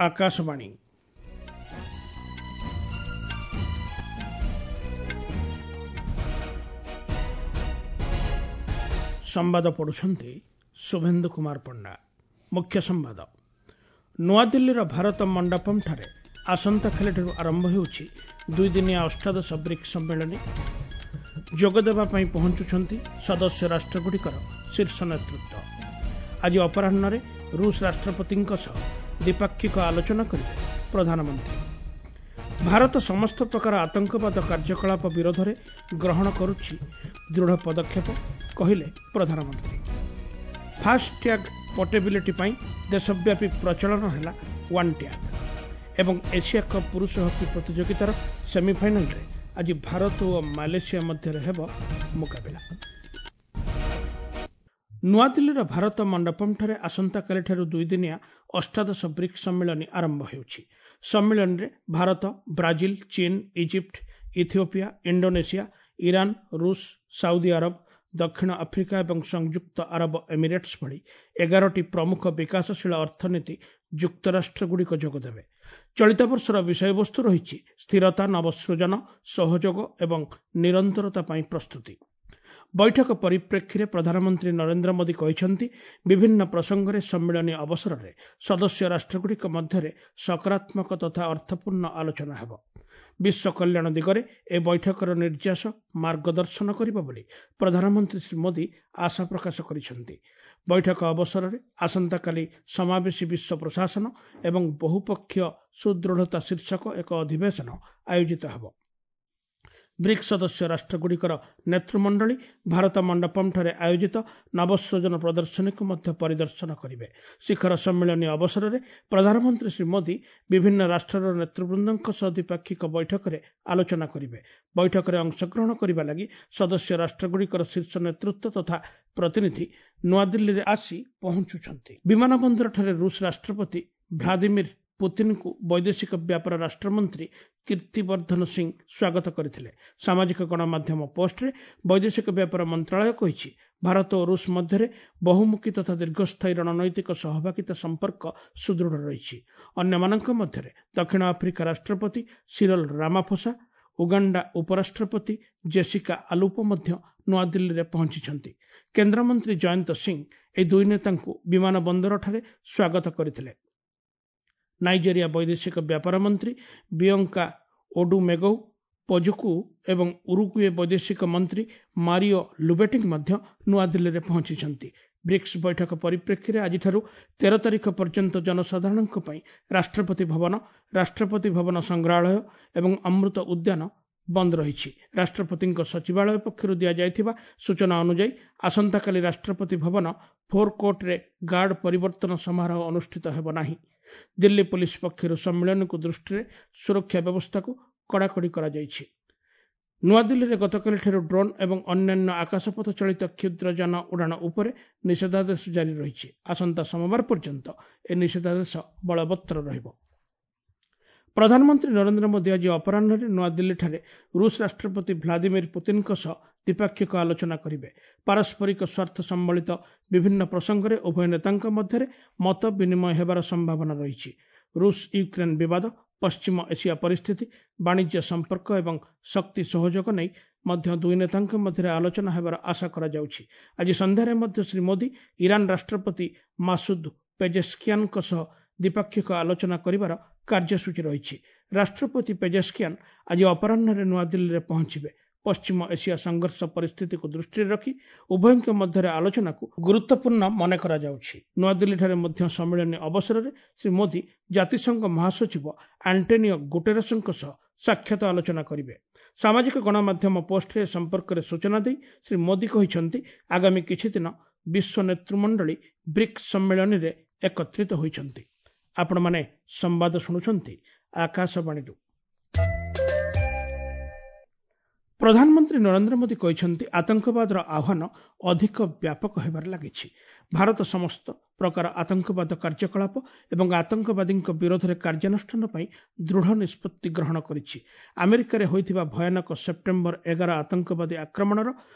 ଆକାଶବାଣୀ। ସମ୍ବାଦ ପଢ଼ୁଛନ୍ତି ଶୁଭେନ୍ଦୁ କୁମାର ପଣ୍ଡା। ମୁଖ୍ୟ ସମ୍ବାଦ। ନୂଆଦିଲ୍ଲୀର ଭାରତ ମଣ୍ଡପମ୍ଠାରେ ଆସନ୍ତାକାଲିଠାରୁ ଆରମ୍ଭ ହେଉଛି ଦୁଇଦିନିଆ ଅଷ୍ଟାଦଶ ବ୍ରିକ୍ସ ସମ୍ମିଳନୀ। ଯୋଗଦେବା ପାଇଁ ପହଞ୍ଚୁଛନ୍ତି ସଦସ୍ୟ ରାଷ୍ଟ୍ରଗୁଡ଼ିକର ଶୀର୍ଷ ନେତୃତ୍ୱ। ଆଜି ଅପରାହ୍ନରେ ରୁଷ ରାଷ୍ଟ୍ରପତିଙ୍କ ସହ ଦ୍ୱିପାକ୍ଷିକ ଆଲୋଚନା କରିବେ ପ୍ରଧାନମନ୍ତ୍ରୀ। ଭାରତ ସମସ୍ତ ପ୍ରକାର ଆତଙ୍କବାଦ କାର୍ଯ୍ୟକଳାପ ବିରୋଧରେ ଗ୍ରହଣ କରୁଛି ଦୃଢ଼ ପଦକ୍ଷେପ, କହିଲେ ପ୍ରଧାନମନ୍ତ୍ରୀ। ଫାସ୍ଟ୍ୟାଗ୍ ପୋର୍ଟେବିଲିଟି ପାଇଁ ଦେଶବ୍ୟାପୀ ପ୍ରଚଳନ ହେଲା ୱାନ୍ ଟ୍ୟାଗ୍। ଏବଂ ଏସିଆ କପ୍ ପୁରୁଷ ହକି ପ୍ରତିଯୋଗିତାର ସେମିଫାଇନାଲରେ ଆଜି ଭାରତ ଓ ମାଲେସିଆ ମଧ୍ୟରେ ହେବ ମୁକାବିଲା। ନୂଆଦିଲ୍ଲୀର ଭାରତ ମଣ୍ଡପମ୍ଠାରେ ଆସନ୍ତାକାଲିଠାରୁ ଦୁଇଦିନିଆ ଅଷ୍ଟାଦଶ ବ୍ରିକ୍ସ ସମ୍ମିଳନୀ ଆରମ୍ଭ ହେଉଛି। ସମ୍ମିଳନୀରେ ଭାରତ, ବ୍ରାଜିଲ, ଚୀନ, ଇଜିପ୍ଟ, ଇଥିଓପିଆ, ଇଣ୍ଡୋନେସିଆ, ଇରାନ, ରୁଷ, ସାଉଦି ଆରବ, ଦକ୍ଷିଣ ଆଫ୍ରିକା ଏବଂ ସଂଯୁକ୍ତ ଆରବ ଏମିରେଟ୍ସ ଭଳି 11ଟି ପ୍ରମୁଖ ବିକାଶଶୀଳ ଅର୍ଥନୀତି ଯୁକ୍ତରାଷ୍ଟ୍ରଗୁଡ଼ିକ ଯୋଗଦେବେ। ଚଳିତ ବର୍ଷର ବିଷୟବସ୍ତୁ ରହିଛି ସ୍ଥିରତା, ନବସୃଜନ, ସହଯୋଗ ଏବଂ ନିରନ୍ତରତା ପାଇଁ ପ୍ରସ୍ତୁତି। ବୈଠକ ପରିପ୍ରେକ୍ଷୀରେ ପ୍ରଧାନମନ୍ତ୍ରୀ ନରେନ୍ଦ୍ର ମୋଦି କହିଛନ୍ତି, ବିଭିନ୍ନ ପ୍ରସଙ୍ଗରେ ସମ୍ମିଳନୀ ଅବସରରେ ସଦସ୍ୟ ରାଷ୍ଟ୍ରଗୁଡ଼ିକ ମଧ୍ୟରେ ସକାରାତ୍ମକ ତଥା ଅର୍ଥପୂର୍ଣ୍ଣ ଆଲୋଚନା ହେବ। ବିଶ୍ୱ କଲ୍ୟାଣ ଦିଗରେ ଏ ବୈଠକର ନିର୍ଯାସ ମାର୍ଗଦର୍ଶନ କରିବ ବୋଲି ପ୍ରଧାନମନ୍ତ୍ରୀ ଶ୍ରୀ ମୋଦି ଆଶା ପ୍ରକାଶ କରିଛନ୍ତି। ବୈଠକ ଅବସରରେ ଆସନ୍ତାକାଲି ସମାବେଶୀ ବିଶ୍ୱ ପ୍ରଶାସନ ଏବଂ ବହୁପକ୍ଷୀୟ ସୁଦୃଢ଼ତା ଶୀର୍ଷକ ଏକ ଅଧିବେଶନ ଆୟୋଜିତ ହେବ। ବ୍ରିକ୍ସ ସଦସ୍ୟ ରାଷ୍ଟ୍ରଗୁଡ଼ିକର ନେତୃମଣ୍ଡଳୀ ଭାରତ ମଣ୍ଡପମ୍ଠାରେ ଆୟୋଜିତ ନବସୃଜନ ପ୍ରଦର୍ଶନୀକୁ ମଧ୍ୟ ପରିଦର୍ଶନ କରିବେ। ଶିଖର ସମ୍ମିଳନୀ ଅବସରରେ ପ୍ରଧାନମନ୍ତ୍ରୀ ଶ୍ରୀ ମୋଦି ବିଭିନ୍ନ ରାଷ୍ଟ୍ରର ନେତୃବୃନ୍ଦଙ୍କ ସହ ଦ୍ୱିପାକ୍ଷିକ ବୈଠକରେ ଆଲୋଚନା କରିବେ। ବୈଠକରେ ଅଂଶଗ୍ରହଣ କରିବା ଲାଗି ସଦସ୍ୟ ରାଷ୍ଟ୍ରଗୁଡ଼ିକର ଶୀର୍ଷ ନେତୃତ୍ୱ ତଥା ପ୍ରତିନିଧି ନୂଆଦିଲ୍ଲୀରେ ଆସି ପହଞ୍ଚୁଛନ୍ତି। ବିମାନ ବନ୍ଦରଠାରେ ରୁଷ ରାଷ୍ଟ୍ରପତି ଭ୍ଲାଦିମିର ପୁତିନଙ୍କୁ ବୈଦେଶିକ ବ୍ୟାପାର ରାଷ୍ଟ୍ରମନ୍ତ୍ରୀ କୀର୍ତ୍ତିବର୍ଦ୍ଧନ ସିଂ ସ୍ୱାଗତ କରିଥିଲେ। ସାମାଜିକ ଗଣମାଧ୍ୟମ ପୋଷ୍ଟରେ ବୈଦେଶିକ ବ୍ୟାପାର ମନ୍ତ୍ରଣାଳୟ କହିଛି, ଭାରତ ଓ ରୁଷ ମଧ୍ୟରେ ବହୁମୁଖୀ ତଥା ଦୀର୍ଘସ୍ଥାୟୀ ରଣନୈତିକ ସହଭାଗିତା ସମ୍ପର୍କ ସୁଦୃଢ଼ ରହିଛି। ଅନ୍ୟମାନଙ୍କ ମଧ୍ୟରେ ଦକ୍ଷିଣ ଆଫ୍ରିକା ରାଷ୍ଟ୍ରପତି ସିରଲ ରାମାଫୋସା, ଉଗାଣ୍ଡା ଉପରାଷ୍ଟ୍ରପତି ଜେସିକା ଆଲୁପୋ ମଧ୍ୟ ନୂଆଦିଲ୍ଲୀରେ ପହଞ୍ଚିଛନ୍ତି। କେନ୍ଦ୍ରମନ୍ତ୍ରୀ ଜୟନ୍ତ ସିଂ ଏହି ଦୁଇ ନେତାଙ୍କୁ ବିମାନ ବନ୍ଦରଠାରେ ସ୍ୱାଗତ କରିଥିଲେ। ନାଇଜେରିଆ ବୈଦେଶିକ ବ୍ୟାପାର ମନ୍ତ୍ରୀ ବିୟଙ୍କା ଓଡୁମେଗୌ ପଜୁକୁ ଏବଂ ଉରୁଗୁଏ ବୈଦେଶିକ ମନ୍ତ୍ରୀ ମାରିଓ ଲୁବେଟିଂ ମଧ୍ୟ ନୂଆଦିଲ୍ଲୀରେ ପହଞ୍ଚିଛନ୍ତି। ବ୍ରିକ୍ସ ବୈଠକ ପରିପ୍ରେକ୍ଷୀରେ ଆଜିଠାରୁ 13 ତାରିଖ ପର୍ଯ୍ୟନ୍ତ ଜନସାଧାରଣଙ୍କ ପାଇଁ ରାଷ୍ଟ୍ରପତି ଭବନ, ରାଷ୍ଟ୍ରପତି ଭବନ ସଂଗ୍ରହାଳୟ ଏବଂ ଅମୃତ ଉଦ୍ୟାନ ବନ୍ଦ ରହିଛି। ରାଷ୍ଟ୍ରପତିଙ୍କ ସଚିବାଳୟ ପକ୍ଷରୁ ଦିଆଯାଇଥିବା ସୂଚନା ଅନୁଯାୟୀ ଆସନ୍ତାକାଲି ରାଷ୍ଟ୍ରପତି ଭବନ ଫୋରକୋର୍ଟରେ ଗାର୍ଡ ପରିବର୍ତ୍ତନ ସମାରୋହ ଅନୁଷ୍ଠିତ ହେବ ନାହିଁ। ଦିଲ୍ଲୀ ପୋଲିସ ପକ୍ଷରୁ ସମ୍ମିଳନୀକୁ ଦୃଷ୍ଟିରେ ସୁରକ୍ଷା ବ୍ୟବସ୍ଥାକୁ କଡ଼ାକଡ଼ି କରାଯାଇଛି। ନୂଆଦିଲ୍ଲୀରେ ଗତକାଲିଠାରୁ ଡ୍ରୋନ୍ ଏବଂ ଅନ୍ୟାନ୍ୟ ଆକାଶପଥ ଚାଳିତ କ୍ଷୁଦ୍ର ଯାନ ଉଡ଼ାଣ ଉପରେ ନିଷେଧାଦେଶ ଜାରି ରହିଛି। ଆସନ୍ତା ସୋମବାର ପର୍ଯ୍ୟନ୍ତ ଏ ନିଷେଧାଦେଶ ବଳବତ୍ତର ରହିବ। ପ୍ରଧାନମନ୍ତ୍ରୀ ନରେନ୍ଦ୍ର ମୋଦି ଆଜି ଅପରାହ୍ନରେ ନୂଆଦିଲ୍ଲୀଠାରେ ରୁଷ ରାଷ୍ଟ୍ରପତି ଭ୍ଲାଦିମିର ପୁତିନଙ୍କ ସହ ଦ୍ୱିପାକ୍ଷିକ ଆଲୋଚନା କରିବେ। ପାରସ୍ପରିକ ସ୍ୱାର୍ଥ ସମ୍ବଳିତ ବିଭିନ୍ନ ପ୍ରସଙ୍ଗରେ ଉଭୟ ନେତାଙ୍କ ମଧ୍ୟରେ ମତ ବିନିମୟ ହେବାର ସମ୍ଭାବନା ରହିଛି। ରୁଷ ୟୁକ୍ରେନ ବିବାଦ, ପଶ୍ଚିମ ଏସିଆ ପରିସ୍ଥିତି, ବାଣିଜ୍ୟ ସମ୍ପର୍କ ଏବଂ ଶକ୍ତି ସହଯୋଗ ନେଇ ମଧ୍ୟ ଦୁଇ ନେତାଙ୍କ ମଧ୍ୟରେ ଆଲୋଚନା ହେବାର ଆଶା କରାଯାଉଛି। ଆଜି ସନ୍ଧ୍ୟାରେ ମଧ୍ୟ ଶ୍ରୀ ମୋଦି ଇରାନ ରାଷ୍ଟ୍ରପତି ମାସୁଦ ପେଜେସ୍କିଆନଙ୍କ ସହ ଦ୍ୱିପାକ୍ଷିକ ଆଲୋଚନା କରିବାର କାର୍ଯ୍ୟସୂଚୀ ରହିଛି। ରାଷ୍ଟ୍ରପତି ପେଜେସ୍କିଆନ ଆଜି ଅପରାହ୍ନରେ ନୂଆଦିଲ୍ଲୀରେ ପହଞ୍ଚିବେ। ପଶ୍ଚିମ ଏସିଆ ସଂଘର୍ଷ ପରିସ୍ଥିତିକୁ ଦୃଷ୍ଟିରେ ରଖି ଉଭୟଙ୍କ ମଧ୍ୟରେ ଆଲୋଚନାକୁ ଗୁରୁତ୍ୱପୂର୍ଣ୍ଣ ମନେ କରାଯାଉଛି। ନୂଆଦିଲ୍ଲୀଠାରେ ମଧ୍ୟ ସମ୍ମିଳନୀ ଅବସରରେ ଶ୍ରୀ ମୋଦି ଜାତିସଂଘ ମହାସଚିବ ଆଣ୍ଟୋନିଓ ଗୁଟେରସଙ୍କ ସହ ସାକ୍ଷାତ ଆଲୋଚନା କରିବେ। ସାମାଜିକ ଗଣମାଧ୍ୟମ ପୋଷ୍ଟରେ ଏ ସମ୍ପର୍କରେ ସୂଚନା ଦେଇ ଶ୍ରୀ ମୋଦି କହିଛନ୍ତି, ଆଗାମୀ କିଛିଦିନ ବିଶ୍ୱ ନେତୃମଣ୍ଡଳୀ ବ୍ରିକ୍ସ ସମ୍ମିଳନୀରେ ଏକତ୍ରିତ ହୋଇଛନ୍ତି। ଆପଣମାନେ ସମ୍ବାଦ ଶୁଣୁଛନ୍ତି ଆକାଶବାଣୀରୁ। ପ୍ରଧାନମନ୍ତ୍ରୀ ନରେନ୍ଦ୍ର ମୋଦି କହିଛନ୍ତି, ଆତଙ୍କବାଦର ଆହ୍ୱାନ ଅଧିକ ବ୍ୟାପକ ହେବାରେ ଲାଗିଛି। ଭାରତ ସମସ୍ତ ପ୍ରକାର ଆତଙ୍କବାଦ କାର୍ଯ୍ୟକଳାପ ଏବଂ ଆତଙ୍କବାଦୀଙ୍କ ବିରୋଧରେ କାର୍ଯ୍ୟାନୁଷ୍ଠାନ ପାଇଁ ଦୃଢ଼ ନିଷ୍ପତ୍ତି ଗ୍ରହଣ କରିଛି। ଆମେରିକାରେ ହୋଇଥିବା ଭୟାନକ ସେପ୍ଟେମ୍ବର 11 ଆତଙ୍କବାଦୀ ଆକ୍ରମଣର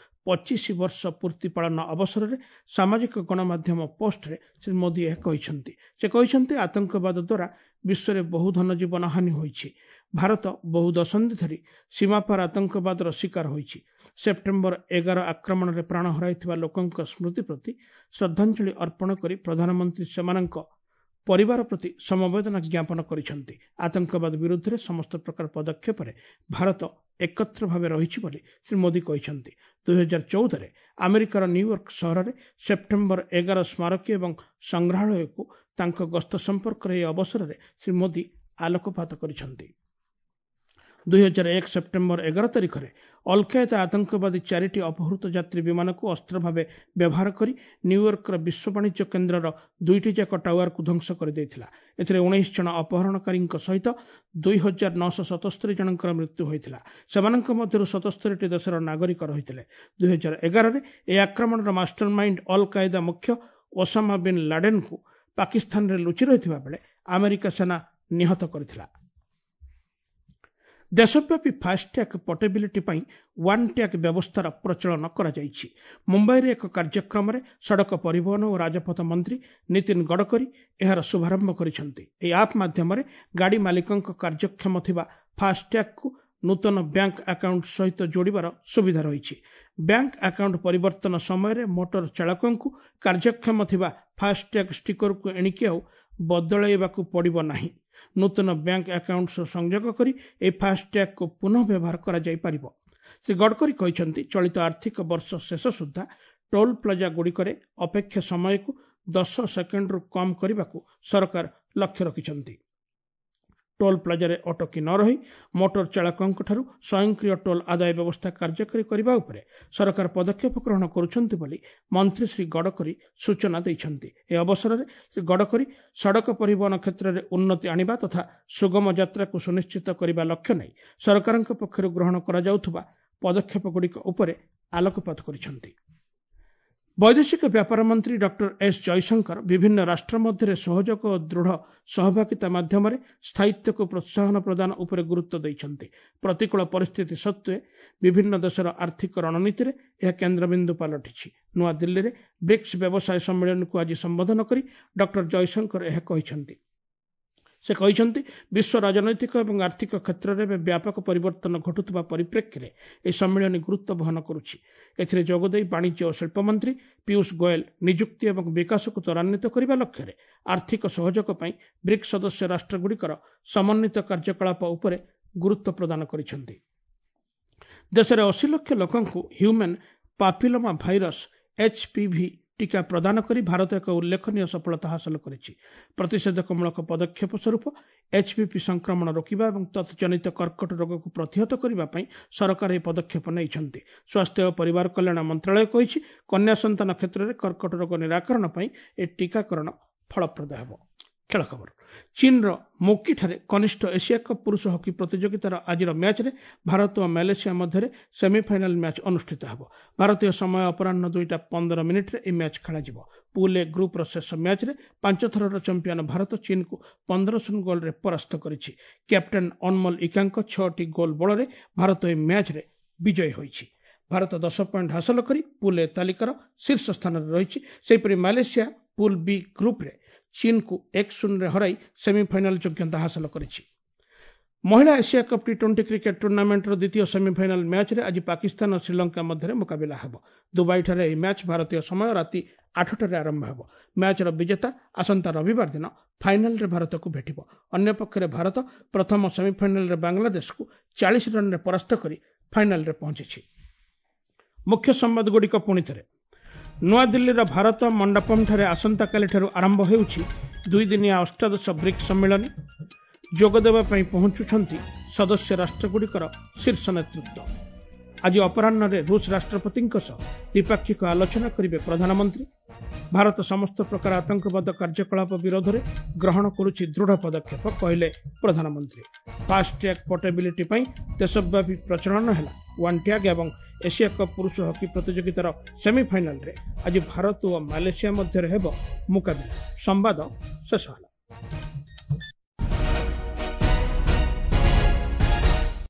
25 ବର୍ଷ ପୂର୍ତ୍ତି ପାଳନ ଅବସରରେ ସାମାଜିକ ଗଣମାଧ୍ୟମ ପୋଷ୍ଟରେ ଶ୍ରୀ ମୋଦି ଏହା କହିଛନ୍ତି। ସେ କହିଛନ୍ତି, ଆତଙ୍କବାଦ ଦ୍ୱାରା ବିଶ୍ୱରେ ବହୁ ଧନଜୀବନ ହାନି ହୋଇଛି। ଭାରତ ବହୁ ଦଶନ୍ଧି ଧରି ସୀମାପାର ଆତଙ୍କବାଦର ଶିକାର ହୋଇଛି। ସେପ୍ଟେମ୍ବର 11 ଆକ୍ରମଣରେ ପ୍ରାଣ ହରାଇଥିବା ଲୋକଙ୍କ ସ୍ମୃତି ପ୍ରତି ଶ୍ରଦ୍ଧାଞ୍ଜଳି ଅର୍ପଣ କରି ପ୍ରଧାନମନ୍ତ୍ରୀ ସେମାନଙ୍କ ପରିବାର ପ୍ରତି ସମବେଦନା ଜ୍ଞାପନ କରିଛନ୍ତି। ଆତଙ୍କବାଦ ବିରୁଦ୍ଧରେ ସମସ୍ତ ପ୍ରକାର ପଦକ୍ଷେପରେ ଭାରତ ଏକତ୍ର ଭାବେ ରହିଛି ବୋଲି ଶ୍ରୀ ମୋଦି କହିଛନ୍ତି। 2014ରେ ଆମେରିକାର ନ୍ୟୁୟର୍କ ସହରରେ ସେପ୍ଟେମ୍ବର 11 ସ୍ମାରକୀ ଏବଂ ସଂଗ୍ରହାଳୟକୁ ତାଙ୍କ ଗସ୍ତ ସମ୍ପର୍କରେ ଏହି ଅବସରରେ ଶ୍ରୀ ମୋଦି ଆଲୋକପାତ କରିଛନ୍ତି। 2001 ସେପ୍ଟେମ୍ବର 11 ତାରିଖରେ ଅଲକାଏଦା ଆତଙ୍କବାଦୀ 4ଟି ଅପହୃତ ଯାତ୍ରୀ ବିମାନକୁ ଅସ୍ତ୍ର ଭାବେ ବ୍ୟବହାର କରି ନ୍ୟୁୟର୍କର ବିଶ୍ୱ ବାଣିଜ୍ୟ କେନ୍ଦ୍ରର 2ଟି ଯାକ ଟାୱାରକୁ ଧ୍ୱଂସ କରିଦେଇଥିଲା। ଏଥିରେ 19 ଜଣ ଅପହରଣକାରୀଙ୍କ ସହିତ 2977 ଜଣଙ୍କର ମୃତ୍ୟୁ ହୋଇଥିଲା। ସେମାନଙ୍କ ମଧ୍ୟରୁ 77ଟି ଦେଶର ନାଗରିକ ରହିଥିଲେ। 2011ରେ ଏହି ଆକ୍ରମଣର ମାଷ୍ଟରମାଇଣ୍ଡ ଅଲ କାଏଦା ମୁଖ୍ୟ ଓସାମା ବିନ୍ ଲାଡେନ୍କୁ ପାକିସ୍ତାନରେ ଲୁଚି ରହିଥିବା ବେଳେ ଆମେରିକା ସେନା ନିହତ କରିଥିଲା। ଦେଶବ୍ୟାପୀ ଫାସ୍ଟ୍ୟାଗ୍ ପୋର୍ଟେବିଲିଟି ପାଇଁ ୱାନ୍ ଟ୍ୟାଗ୍ ବ୍ୟବସ୍ଥାର ପ୍ରଚଳନ କରାଯାଇଛି। ମୁମ୍ବାଇରେ ଏକ କାର୍ଯ୍ୟକ୍ରମରେ ସଡ଼କ ପରିବହନ ଓ ରାଜପଥ ମନ୍ତ୍ରୀ ନୀତିନ ଗଡ଼କରୀ ଏହାର ଶୁଭାରମ୍ଭ କରିଛନ୍ତି। ଏହି ଆପ୍ ମାଧ୍ୟମରେ ଗାଡ଼ି ମାଲିକଙ୍କ କାର୍ଯ୍ୟକ୍ଷମ ଥିବା ଫାସ୍ଟ୍ୟାଗ୍କୁ ନୂତନ ବ୍ୟାଙ୍କ ଆକାଉଣ୍ଟ ସହିତ ଯୋଡ଼ିବାର ସୁବିଧା ରହିଛି। ବ୍ୟାଙ୍କ ଆକାଉଣ୍ଟ ପରିବର୍ତ୍ତନ ସମୟରେ ମୋଟର ଚାଳକଙ୍କୁ କାର୍ଯ୍ୟକ୍ଷମ ଥିବା ଫାସ୍ଟ୍ୟାଗ୍ ଷ୍ଟିକରକୁ ଏଣିକି ଆଉ ବଦଳାଇବାକୁ ପଡ଼ିବ ନାହିଁ। ନୂତନ ବ୍ୟାଙ୍କ ଆକାଉଣ୍ଟ ସହ ସଂଯୋଗ କରି ଏହି ଫାସ୍ଟ୍ୟାଗ୍କୁ ପୁନଃ ବ୍ୟବହାର କରାଯାଇପାରିବ। ଶ୍ରୀ ଗଡ଼କରୀ କହିଛନ୍ତି, ଚଳିତ ଆର୍ଥିକ ବର୍ଷ ଶେଷ ସୁଦ୍ଧା ଟୋଲ୍ ପ୍ଲାଜା ଗୁଡ଼ିକରେ ଅପେକ୍ଷା ସମୟକୁ 10 ସେକେଣ୍ଡରୁ କମ୍ କରିବାକୁ ସରକାର ଲକ୍ଷ୍ୟ ରଖିଛନ୍ତି। ଟୋଲ୍ ପ୍ଲାଜାରେ ଅଟକି ନ ରହି ମୋଟର ଚାଳକଙ୍କଠାରୁ ସ୍ୱୟଂକ୍ରିୟ ଟୋଲ୍ ଆଦାୟ ବ୍ୟବସ୍ଥା କାର୍ଯ୍ୟକାରୀ କରିବା ଉପରେ ସରକାର ପଦକ୍ଷେପ ଗ୍ରହଣ କରୁଛନ୍ତି ବୋଲି ମନ୍ତ୍ରୀ ଶ୍ରୀ ଗଡ଼କରୀ ସୂଚନା ଦେଇଛନ୍ତି। ଏହି ଅବସରରେ ଶ୍ରୀ ଗଡ଼କରୀ ସଡ଼କ ପରିବହନ କ୍ଷେତ୍ରରେ ଉନ୍ନତି ଆଣିବା ତଥା ସୁଗମ ଯାତ୍ରାକୁ ସୁନିଶ୍ଚିତ କରିବା ଲକ୍ଷ୍ୟ ନେଇ ସରକାରଙ୍କ ପକ୍ଷରୁ ଗ୍ରହଣ କରାଯାଉଥିବା ପଦକ୍ଷେପଗୁଡ଼ିକ ଉପରେ ଆଲୋକପାତ କରିଛନ୍ତି। ବୈଦେଶିକ ବ୍ୟାପାର ମନ୍ତ୍ରୀ ଡକ୍ଟର ଏସ୍ ଜୟଶଙ୍କର ବିଭିନ୍ନ ରାଷ୍ଟ୍ର ମଧ୍ୟରେ ସହଯୋଗ ଓ ଦୃଢ଼ ସହଭାଗିତା ମାଧ୍ୟମରେ ସ୍ଥାୟିତ୍ୱକୁ ପ୍ରୋତ୍ସାହନ ପ୍ରଦାନ ଉପରେ ଗୁରୁତ୍ୱ ଦେଇଛନ୍ତି। ପ୍ରତିକୂଳ ପରିସ୍ଥିତି ସତ୍ତ୍ୱେ ବିଭିନ୍ନ ଦେଶର ଆର୍ଥିକ ରଣନୀତିରେ ଏହା କେନ୍ଦ୍ରବିନ୍ଦୁ ପାଲଟିଛି। ନୂଆଦିଲ୍ଲୀରେ ବ୍ରିକ୍ସ ବ୍ୟବସାୟ ସମ୍ମିଳନୀକୁ ଆଜି ସମ୍ବୋଧନ କରି ଡକ୍ଟର ଜୟଶଙ୍କର ଏହା କହିଛନ୍ତି। ସେ କହିଛନ୍ତି, ବିଶ୍ୱ ରାଜନୈତିକ ଏବଂ ଆର୍ଥିକ କ୍ଷେତ୍ରରେ ଏବେ ବ୍ୟାପକ ପରିବର୍ତ୍ତନ ଘଟୁଥିବା ପରିପ୍ରେକ୍ଷୀରେ ଏହି ସମ୍ମିଳନୀ ଗୁରୁତ୍ୱ ବହନ କରୁଛି। ଏଥିରେ ଯୋଗଦେଇ ବାଣିଜ୍ୟ ଓ ଶିଳ୍ପ ମନ୍ତ୍ରୀ ପୀୟୁଷ ଗୋଏଲ ନିଯୁକ୍ତି ଏବଂ ବିକାଶକୁ ତ୍ୱରାନ୍ୱିତ କରିବା ଲକ୍ଷ୍ୟରେ ଆର୍ଥିକ ସହଯୋଗ ପାଇଁ ବ୍ରିକ୍ସ ସଦସ୍ୟ ରାଷ୍ଟ୍ରଗୁଡ଼ିକର ସମନ୍ୱିତ କାର୍ଯ୍ୟକଳାପ ଉପରେ ଗୁରୁତ୍ୱ ପ୍ରଦାନ କରିଛନ୍ତି। ଦେଶରେ 80 ଲକ୍ଷ ଲୋକଙ୍କୁ ହ୍ୟୁମାନ୍ ପାପିଲୋମା ଭାଇରସ୍ ଏଚ୍ପିଭି ଟିକା ପ୍ରଦାନ କରି ଭାରତ ଏକ ଉଲ୍ଲେଖନୀୟ ସଫଳତା ହାସଲ କରିଛି। ପ୍ରତିଷେଧକମୂଳକ ପଦକ୍ଷେପ ସ୍ୱରୂପ ଏଚ୍ପିଭି ସଂକ୍ରମଣ ରୋକିବା ଏବଂ ତତ୍ଜନିତ କର୍କଟ ରୋଗକୁ ପ୍ରତିହତ କରିବା ପାଇଁ ସରକାର ଏହି ପଦକ୍ଷେପ ନେଇଛନ୍ତି। ସ୍ୱାସ୍ଥ୍ୟ ଓ ପରିବାର କଲ୍ୟାଣ ମନ୍ତ୍ରାଳୟ କହିଛି, କନ୍ୟା ସନ୍ତାନ କ୍ଷେତ୍ରରେ କର୍କଟ ରୋଗ ନିରାକରଣ ପାଇଁ ଏହି ଟିକାକରଣ ଫଳପ୍ରଦ ହେବ। ଖେଳ ଖବର, ଚୀନର ମୋକିଠାରେ କନିଷ୍ଠ ଏସିଆ କପ୍ ପୁରୁଷ ହକି ପ୍ରତିଯୋଗିତାର ଆଜିର ମ୍ୟାଚ୍ରେ ଭାରତ ଓ ମାଲେସିଆ ମଧ୍ୟରେ ସେମିଫାଇନାଲ ମ୍ୟାଚ୍ ଅନୁଷ୍ଠିତ ହେବ। ଭାରତୀୟ ସମୟ ଅପରାହ୍ନ 2ଟା 15 ମିନିଟ୍ରେ ଏହି ମ୍ୟାଚ୍ ଖେଳାଯିବ। ପୁଲ୍ ଏ ଗ୍ରୁପ୍ର ଶେଷ ମ୍ୟାଚ୍ରେ 5 ଥରର ଚାମ୍ପିୟନ ଭାରତ ଚୀନକୁ 15-0 ଗୋଲ୍ରେ ପରାସ୍ତ କରିଛି। କ୍ୟାପ୍ଟେନ୍ ଅନମୋଲ ଇକାଙ୍କ 6ଟି ଗୋଲ୍ ବଳରେ ଭାରତ ଏହି ମ୍ୟାଚ୍ରେ ବିଜୟୀ ହୋଇଛି। ଭାରତ 10 ପଏଣ୍ଟ ହାସଲ କରି ପୁଲ୍ ଏ ତାଲିକାର ଶୀର୍ଷ ସ୍ଥାନରେ ରହିଛି। ସେହିପରି ମାଲେସିଆ ପୁଲ୍ ବି ଗ୍ରୁପ୍ରେ ଚୀନକୁ 1-0ରେ ହରାଇ ସେମିଫାଇନାଲ ଯୋଗ୍ୟତା ହାସଲ କରିଛି। ମହିଳା ଏସିଆ କପ୍ ଟି-20 କ୍ରିକେଟ୍ ଟୁର୍ଣ୍ଣାମେଣ୍ଟର ଦ୍ୱିତୀୟ ସେମିଫାଇନାଲ ମ୍ୟାଚ୍ରେ ଆଜି ପାକିସ୍ତାନ ଓ ଶ୍ରୀଲଙ୍କା ମଧ୍ୟରେ ମୁକାବିଲା ହେବ। ଦୁବାଇଠାରେ ଏହି ମ୍ୟାଚ୍ ଭାରତୀୟ ସମୟ ରାତି 8ଟାରେ ଆରମ୍ଭ ହେବ। ମ୍ୟାଚ୍ର ବିଜେତା ଆସନ୍ତା ରବିବାର ଦିନ ଫାଇନାଲରେ ଭାରତକୁ ଭେଟିବ। ଅନ୍ୟପକ୍ଷରେ ଭାରତ ପ୍ରଥମ ସେମିଫାଇନାଲରେ ବାଂଲାଦେଶକୁ 40 ରନ୍ରେ ପରାସ୍ତ କରି ଫାଇନାଲରେ ପହଞ୍ଚିଛି। ମୁଖ୍ୟ ସମ୍ବାଦଗୁଡ଼ିକ ପୁଣିଥରେ। ନୂଆଦିଲ୍ଲୀର ଭାରତ ମଣ୍ଡପମଠାରେ ଆସନ୍ତାକାଲିଠାରୁ ଆରମ୍ଭ ହେଉଛି ଦୁଇଦିନିଆ ଅଷ୍ଟାଦଶ ବ୍ରିକ୍ସ ସମ୍ମିଳନୀ। ଯୋଗଦେବା ପାଇଁ ପହଞ୍ଚୁଛନ୍ତି ସଦସ୍ୟ ରାଷ୍ଟ୍ରଗୁଡ଼ିକର ଶୀର୍ଷ ନେତୃତ୍ୱ। ଆଜି ଅପରାହ୍ନରେ ରୁଷ ରାଷ୍ଟ୍ରପତିଙ୍କ ସହ ଦ୍ୱିପାକ୍ଷିକ ଆଲୋଚନା କରିବେ ପ୍ରଧାନମନ୍ତ୍ରୀ। ଭାରତ ସମସ୍ତ ପ୍ରକାର ଆତଙ୍କବାଦ କାର୍ଯ୍ୟକଳାପ ବିରୋଧରେ ଗ୍ରହଣ କରୁଛି ଦୃଢ଼ ପଦକ୍ଷେପ, କହିଲେ ପ୍ରଧାନମନ୍ତ୍ରୀ। ଫାସ୍ଟ୍ୟାଗ୍ ପୋର୍ଟେବିଲିଟି ପାଇଁ ଦେଶବ୍ୟାପୀ ପ୍ରଚଳନ ହେଲା ୱାନ୍ ଟ୍ୟାଗ୍ ଏବଂ ଏସିଆ କପ୍ ପୁରୁଷ ହକି ପ୍ରତିଯୋଗିତାର ସେମିଫାଇନାଲରେ ଆଜି ଭାରତ ଓ ମାଲେସିଆ ମଧ୍ୟରେ ହେବ ମୁକାବିଲା। ସମ୍ବାଦ ଶେଷ ହେଲା।